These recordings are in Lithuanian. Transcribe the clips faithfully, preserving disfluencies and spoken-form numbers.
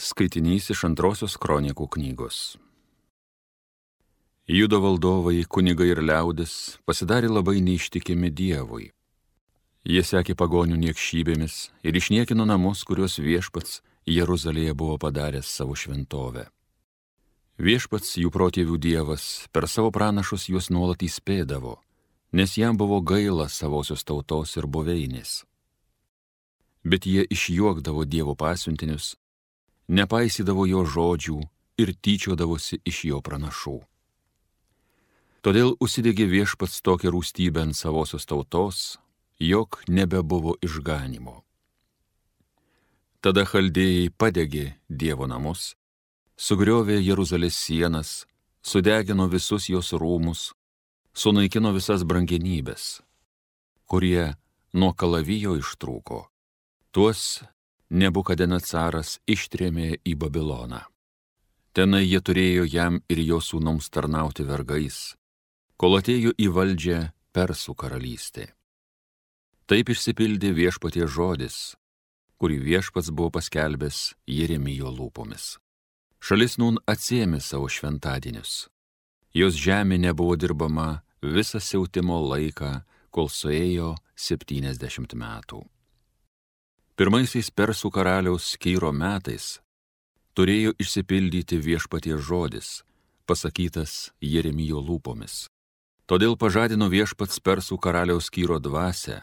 Skaitinys iš antrosios kronikų knygos. Judo valdovai, kunigai ir liaudis pasidarė labai neištikimi Dievui. Jie sekė pagonių niekšybėmis ir išniekino namus, kuriuos viešpats Jeruzalėje buvo padaręs savo šventovę. Viešpats, jų protėvių Dievas, per savo pranašus juos nuolat įspėdavo, nes jam buvo gaila savosios tautos ir buveinės. Bet jie išjuokdavo Dievo pasiuntinius, nepaisydavo jo žodžių ir tyčiodavosi iš jo pranašų. Todėl užsidegė viešpats tokią rūstybę ant savosios tautos, jog nebebuvo išganimo. Tada chaldėjai padegė Dievo namus, sugriovė Jeruzalės sienas, sudegino visus jos rūmus, sunaikino visas brangenybės, kurie nuo kalavijo ištrūko. Tuos Nebukadnecaras ištrėmė į Babiloną. Tenai jie turėjo jam ir jo sūnums tarnauti vergais, kol atėjo į valdžią Persų karalystė. Taip išsipildė viešpaties žodis, kurį viešpats buvo paskelbęs Jeremijo lūpomis. Šalis nun atsiėmė savo šventadienius. Jos žemė nebuvo dirbama visą siautimo laiką, kol suėjo septyniasdešimt metų. Pirmaisiais Persų karaliaus Kyro metais turėjo išsipildyti viešpaties žodis, pasakytas Jeremijo lūpomis. Todėl pažadino viešpats Persų karaliaus Kyro dvasią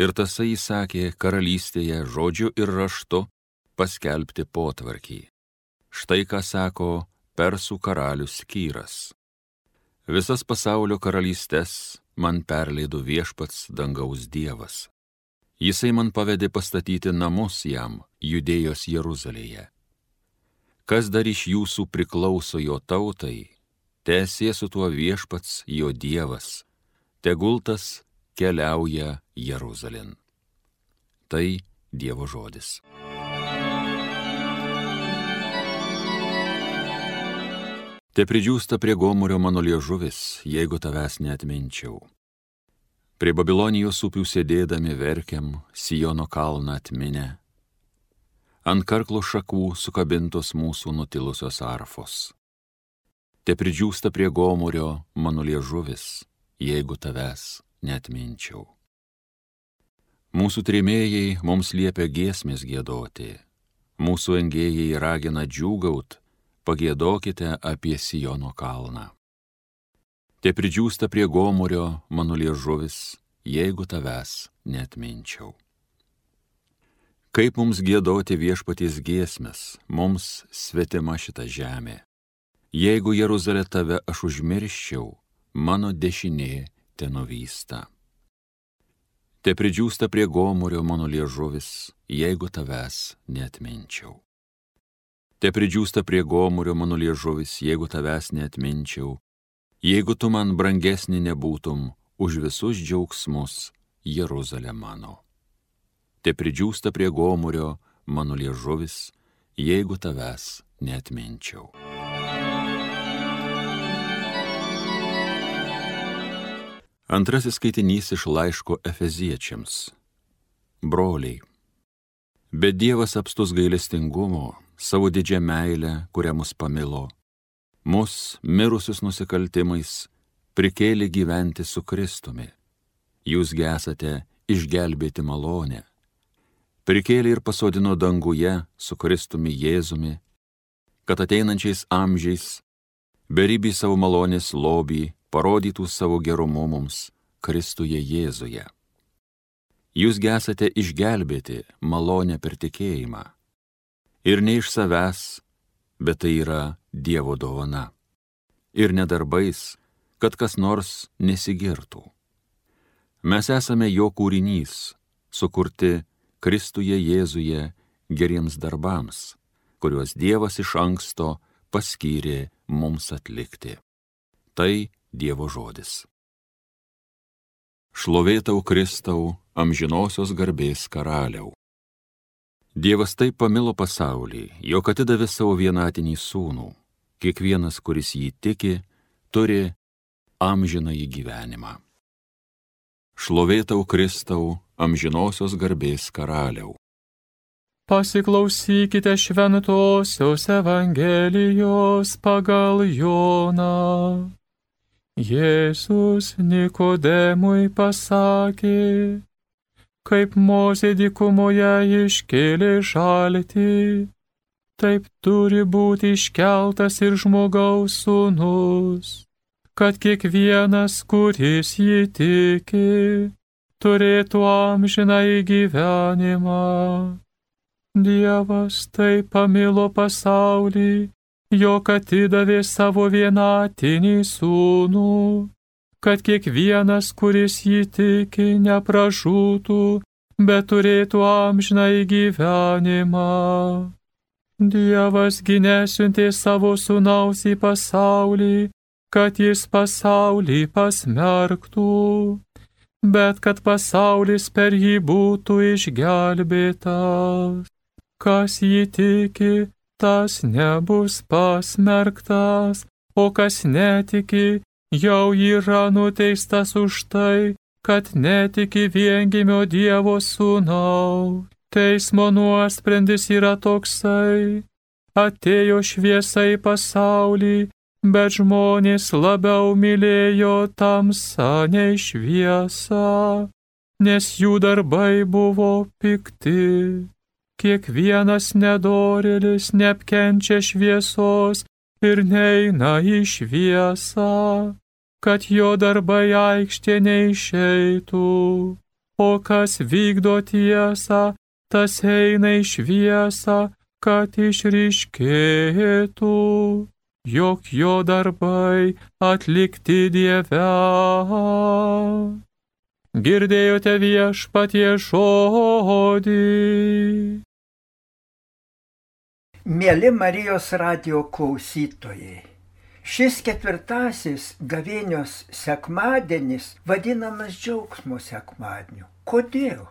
ir tasai įsakė karalystėje žodžiu ir raštu paskelbti potvarkį. Štai ką sako Persų karalius Kyras. Visas pasaulio karalystes man perleido viešpats dangaus Dievas. Jisai man pavedė pastatyti namus jam Judėjos Jeruzalėje. Kas dar iš jūsų priklauso jo tautai, teesie su tuo viešpats jo Dievas, tegul tas keliauja Jeruzalėn. Tai Dievo žodis. Te pridžiūsta prie gomurio mano liežuvis, jeigu tavęs neatminčiau. Prie Babilonijos upių sėdėdami verkiam, Siono kalną atminę. Ant karklo šakų sukabintos mūsų nutilusios arfos. Te pridžiūsta prie gomurio mano liežuvis, jeigu tavęs neatminčiau. Mūsų trėmėjai mums liepia giesmės giedoti, mūsų engėjai ragina džiūgaut, pagiedokite apie Siono kalną. Te pridžiūsta prie gomurio mano liežuvis, jeigu tavęs neatminčiau. Kaip mums giedoti viešpaties giesmes, mums svetima šita žemė. Jeigu Jeruzalė tave aš užmirščiau, mano dešinė te nuvysta. Te pridžiūsta prie gomurio mano liežuvis, jeigu tavęs neatminčiau. Te pridžiūsta prie gomurio mano liežuvis, jeigu tavęs neatminčiau, jeigu tu man brangesnį nebūtum už visus džiaugsmus, Jeruzalė mano. Te pridžiūsta prie gomurio mano liežuvis, jeigu tavęs neatminčiau. Antrasis skaitinys iš laiško Efeziečiams. Broliai, bet Dievas apstus gailestingumo, savo didžią meilę, kurią mus pamilo, mus, mirusius nusikaltimais, prikėlė gyventi su Kristumi. Jūsgi esate išgelbėti malonę. Prikėlė ir pasodino danguje su Kristumi Jėzumi, kad ateinančiais amžiais, beribį savo malonės lobį, parodytų savo gerumu mums Kristuje Jėzuje. Jūsgi esate išgelbėti malonę per tikėjimą. Ir ne iš savęs, bet tai yra Dievo dovana. Ir ne darbais, kad kas nors nesigirtų. Mes esame jo kūrinys, sukurti Kristuje Jėzuje geriems darbams, kuriuos Dievas iš anksto paskyrė mums atlikti. Tai Dievo žodis. Šlovėtau Kristau, amžinosios garbės karaliau. Dievas taip pamilo pasaulį, jog atidavė savo vienatinį sūnų. Kiekvienas, kuris jį tiki, turi amžinąjį gyvenimą. Šlovėtau Kristau, amžinosios garbės karaliau. Pasiklausykite šventosios Evangelijos pagal Joną. Jėzus Nikodemui pasakė, kaip Mozė dykumoje iškėlė žaltį, taip turi būti iškeltas ir žmogaus sūnus, kad kiekvienas, kuris jį tiki, turėtų amžinąjį gyvenimą. Dievas taip pamilo pasaulį, jog atidavė savo vienatinį sūnų, kad kiekvienas, kuris jį tiki, nepražūtų, bet turėtų amžinąjį gyvenimą. Dievas gi nesiuntė savo sūnaus į pasaulį, kad jis pasaulį pasmerktų, bet kad pasaulis per jį būtų išgelbėtas. Kas jį tiki, tas nebus pasmerktas, o kas netiki, jau yra nuteistas už tai, kad netiki viengimio Dievo sūnaus. Teismo nuosprendis yra toksai: atėjo šviesa į pasaulį, bet žmonės labiau mylėjo tamsą nei šviesą, nes jų darbai buvo pikti. Kiekvienas nedorėlis neapkenčia šviesos ir neina į šviesą, kad jo darbai aikštė neišeitų. O kas vykdo tiesą, tas eina į šviesą, kad išryškėtų, jog jo darbai atlikti Dieve. Girdėjote Viešpaties žodį. Mieli Marijos radijo klausytojai, šis ketvirtasis gavėnios sekmadienis vadinamas džiaugsmo sekmadieniu. Kodėl?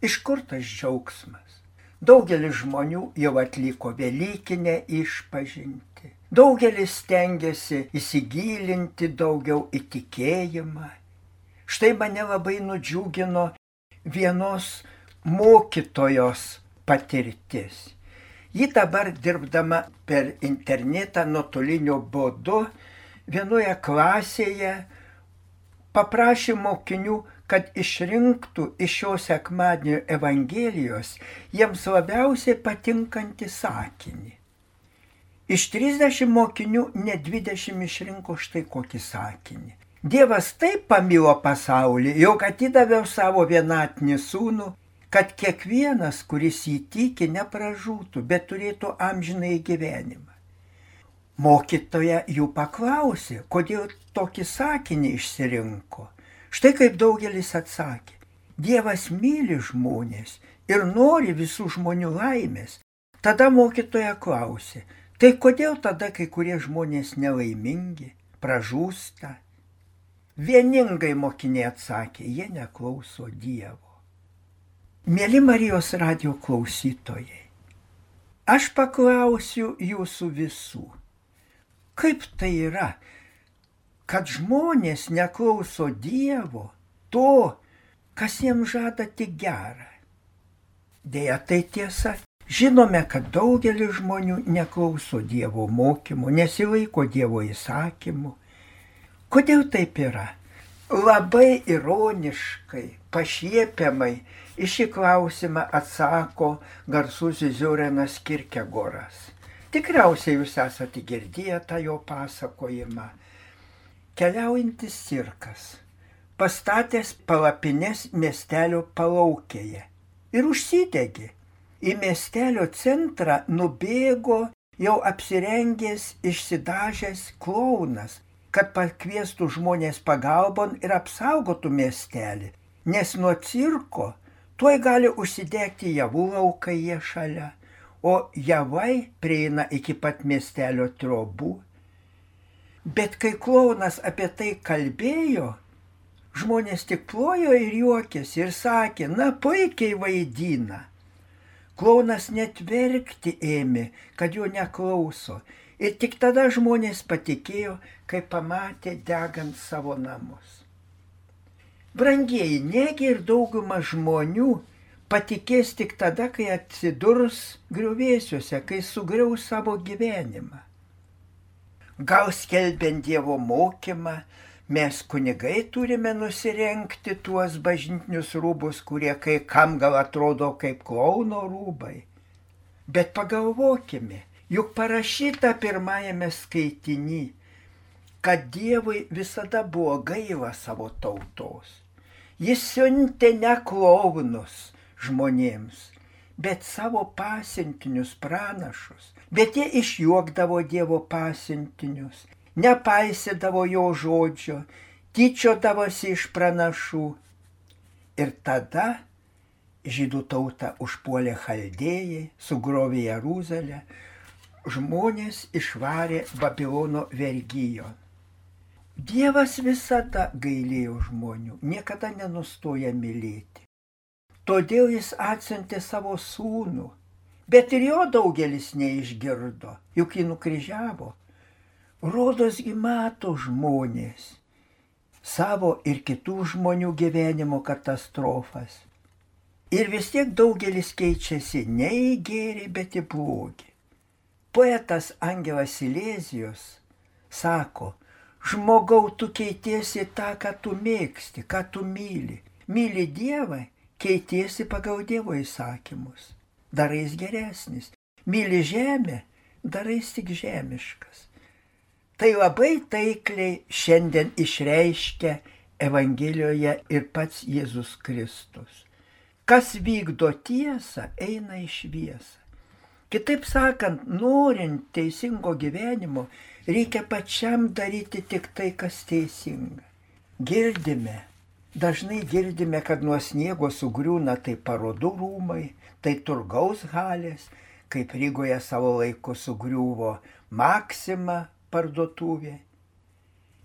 Iš kur tas džiaugsmas? Daugelis žmonių jau atliko velykinę išpažintį. Daugelis stengiasi įsigilinti daugiau į tikėjimą. Štai mane labai nudžiugino vienos mokytojos patirtis. Ji dabar dirbdama per internetą nuotoliniu būdu vienoje klasėje paprašė mokinių, kad išrinktų iš šio sekmadienio Evangelijos jiems labiausiai patinkantį sakinį. Iš trisdešimt mokinių net dvidešimt išrinko štai kokį sakinį. Dievas taip pamilo pasaulį, jog atidavė savo vienatinį sūnų, kad kiekvienas, kuris jį tiki, nepražūtų, bet turėtų amžinąjį gyvenimą. Mokytoja jų paklausė, kodėl tokį sakinį išsirinko. Štai kaip daugelis atsakė: Dievas myli žmonės ir nori visų žmonių laimės. Tada mokytoja klausė: tai kodėl tada kai kurie žmonės nelaimingi, pražūsta? Vieningai mokiniai atsakė: jie neklauso Dievo. Mieli Marijos radijo klausytojai, aš paklausiu jūsų visų, kaip tai yra, kad žmonės neklauso Dievo, to, kas jiems žada tik gerą? Deja, tai tiesa. Žinome, kad daugelis žmonių neklauso Dievo mokymų, nesilaiko Dievo įsakymų. Kodėl taip yra? Labai ironiškai, pašiepiamai į šį klausimą atsako garsusis Ziorenas Kierkegoras. Tikriausiai jūs esate girdėję tą jo pasakojimą. Keliaujantis cirkas pastatęs palapines miestelio palaukėje ir užsidegė. Į miestelio centrą nubėgo jau apsirengęs, išsidažęs klounas, kad pakviestų žmonės pagalbon ir apsaugotų miestelį, nes nuo cirko tuoj gali užsidegti javų laukai jie šalia, o javai prieina iki pat miestelio trobų. Bet kai klounas apie tai kalbėjo, žmonės tik plojo ir juokėsi ir sakė: na, puikiai vaidina. Klounas net verkti ėmė, kad jo neklauso. Ir tik tada žmonės patikėjo, kai pamatė degant savo namus. Brangieji, negi ir dauguma žmonių patikės tik tada, kai atsidurs griuvėsiuose, kai sugriaus savo gyvenimą. Gal skelbiant Dievo mokymą, mes kunigai turime nusirengti tuos bažnytinius rūbus, kurie kai kam gal atrodo kaip klauno rūbai. Bet pagalvokime, juk parašyta pirmajame skaitiny, kad Dievui visada buvo gaila savo tautos. Jis siuntė ne klaunus žmonėms, bet savo pasiuntinius pranašus. Bet jie išjuokdavo Dievo pasiuntinius, nepaisydavo jo žodžio, tyčiodavosi iš pranašų. Ir tada žydų tautą užpuolė chaldėjai, sugrovė Jeruzalę, žmonės išvarė Babilono vergijon. Dievas visada gailėjo žmonių, niekada nenustoja mylėti. Todėl jis atsiuntė savo sūnų, bet ir jo daugelis neišgirdo, juk jį nukryžiavo. Rodosgi mato žmonės savo ir kitų žmonių gyvenimo katastrofas. Ir vis tiek daugelis keičiasi ne į gėrį, bet į blogį. Poetas Angelas Silezijus sako, žmogau, tu keitiesi tą, ką tu mėgsti, ką tu myli. Myli Dievą, keitiesi pagal Dievo įsakymus. Darais geresnis. Myli žemę, darais tik žemiškas. Tai labai taikliai šiandien išreiškia Evangelijoje ir pats Jėzus Kristus. Kas vykdo tiesą, eina į šviesą. Kitaip sakant, norint teisingo gyvenimo, reikia pačiam daryti tik tai, kas teisinga. Girdime, dažnai girdime, kad nuo sniego sugriūna tai parodų rūmai, tai turgaus halės, kaip Rygoje savo laiku sugriuvo Maxima parduotuvė.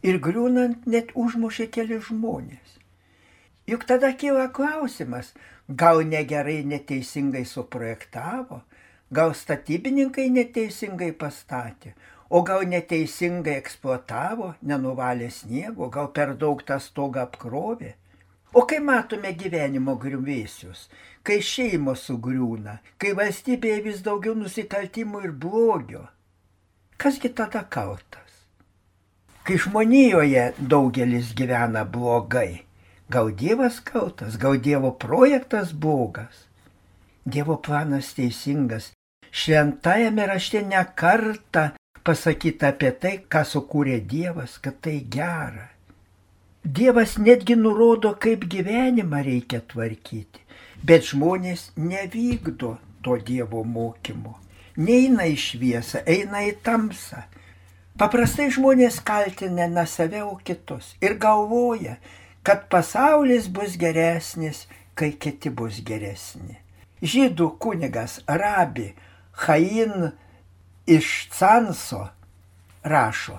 Ir griūnant net užmušė keli žmonės. Juk tada kyla klausimas, gal negerai neteisingai suprojektavo, gal statybininkai neteisingai pastatė, o gal neteisingai eksploatavo, nenuvalė sniego, gal per daug tą stogą apkrovė. O kai matome gyvenimo griuvėsius, kai šeimos sugriūna, kai valstybėje vis daugiau nusikaltimų ir blogio, kasgi tada kaltas? Kai žmonijoje daugelis gyvena blogai, gal Dievas kaltas, gal Dievo projektas blogas? Dievo planas teisingas. Šventajame rašte ne kartą pasakyta apie tai, ką sukūrė Dievas, kad tai gera. Dievas netgi nurodo, kaip gyvenimą reikia tvarkyti, bet žmonės nevykdo to Dievo mokymo. Neina į šviesą, eina į tamsą. Paprastai žmonės kaltina ne save, o kitus ir galvoja, kad pasaulis bus geresnis, kai kiti bus geresni. Žydų kunigas Rabi Chaim iš Canso rašo,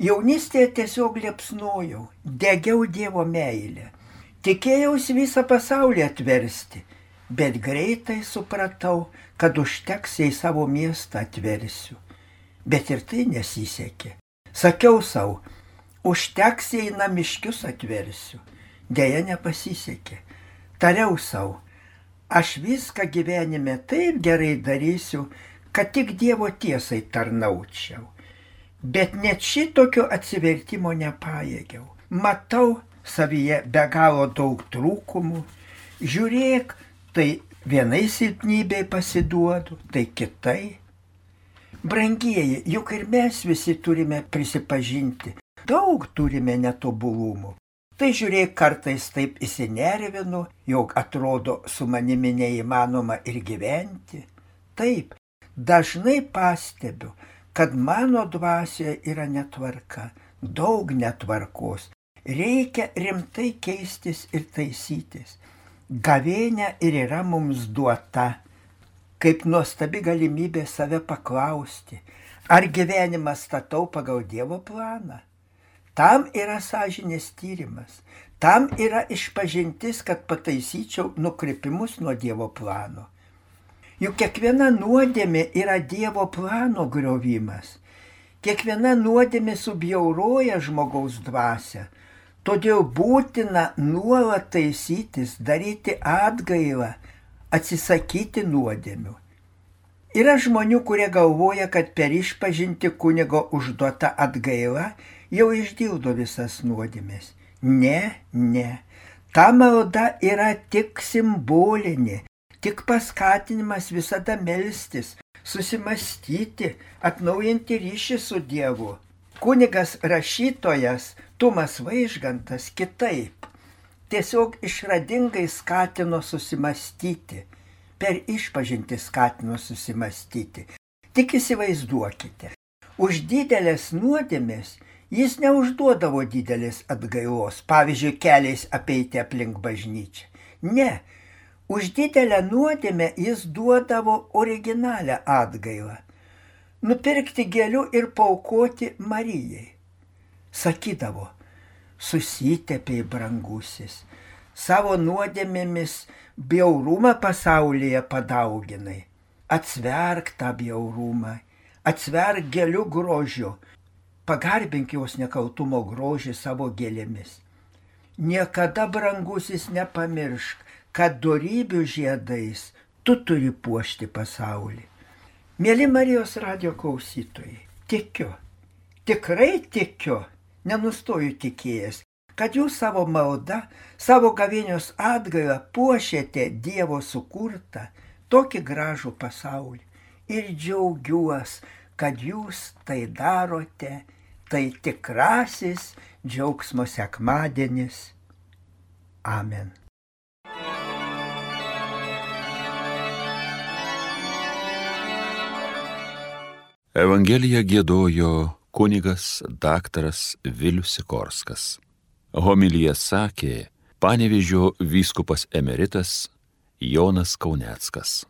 jaunystėje tiesiog liepsnojau, degiau Dievo meilę, tikėjausi visą pasaulį atversti, bet greitai supratau, kad užteks, jei savo miestą atversiu. Bet ir tai nesisekė. Sakiau savo, užteks, jei namiškius atversiu. Deja, nepasisekė. Tariau savo, aš viską gyvenime taip gerai darysiu, kad tik Dievo tiesai tarnaučiau. Bet net šitokio atsivertimo nepajėgiau. Matau savyje be galo daug trūkumų. Žiūrėk, tai vienai silpnybei pasiduodu, tai kitai. Brangieji, juk ir mes visi turime prisipažinti, daug turime netobulumų. Tai žiūrėk, kartais taip įsinervinu, jog atrodo su manimi neįmanoma ir gyventi. Taip, dažnai pastebiu, kad mano dvasioje yra netvarka, daug netvarkos. Reikia rimtai keistis ir taisytis. Gavėnia ir yra mums duota, kaip nuostabi galimybė save paklausti, ar gyvenimą statau pagal Dievo planą. Tam yra sąžinės tyrimas, tam yra išpažintis, kad pataisyčiau nukrypimus nuo Dievo plano. Juk kiekviena nuodėmė yra Dievo plano griovimas. Kiekviena nuodėmė subjauroja žmogaus dvasią. Todėl būtina nuolat taisytis, daryti atgailą, atsisakyti nuodėmių. Yra žmonių, kurie galvoja, kad per išpažinti kunigo užduota atgaila jau išdildo visas nuodėmės. Ne, ne. Ta malda yra tik simbolinė, tik paskatinimas visada melstis, susimastyti, atnaujinti ryšį su Dievu. Kunigas rašytojas Tumas Vaižgantas kitaip. Tiesiog išradingai skatino susimastyti. Per išpažinti skatino susimastyti. Tik įsivaizduokite, už didelės nuodėmės jis neužduodavo didelės atgailos, pavyzdžiui, keliais apeiti aplink bažnyčią. Ne, už didelę nuodėmę jis duodavo originalią atgailą. Nupirkti gėlių ir paaukoti Marijai. Sakydavo, susitepei brangusis, savo nuodėmėmis bjaurumą pasaulyje padauginai. Atsverk tą bjaurumą, atsverk gėlių grožiu, pagarbink jos nekaltumo grožį savo gėlėmis. Niekada, brangusis, nepamiršk, kad dorybių žiedais tu turi puošti pasaulį. Mėly Marijos radijo klausytojai, tikiu, tikrai tikiu, nenustoju tikėjęs, kad jūs savo maldą, savo gavėnios atgailą puošiate Dievo sukurtą tokį gražų pasaulį. Ir džiaugiuos, kad jūs tai darote, tai tikrasis džiaugsmo sekmadienis. Amen. Evangeliją giedojo kunigas daktaras Vilius Sikorskas. Homiliją sakė Panevėžio vyskupas emeritas Jonas Kauneckas.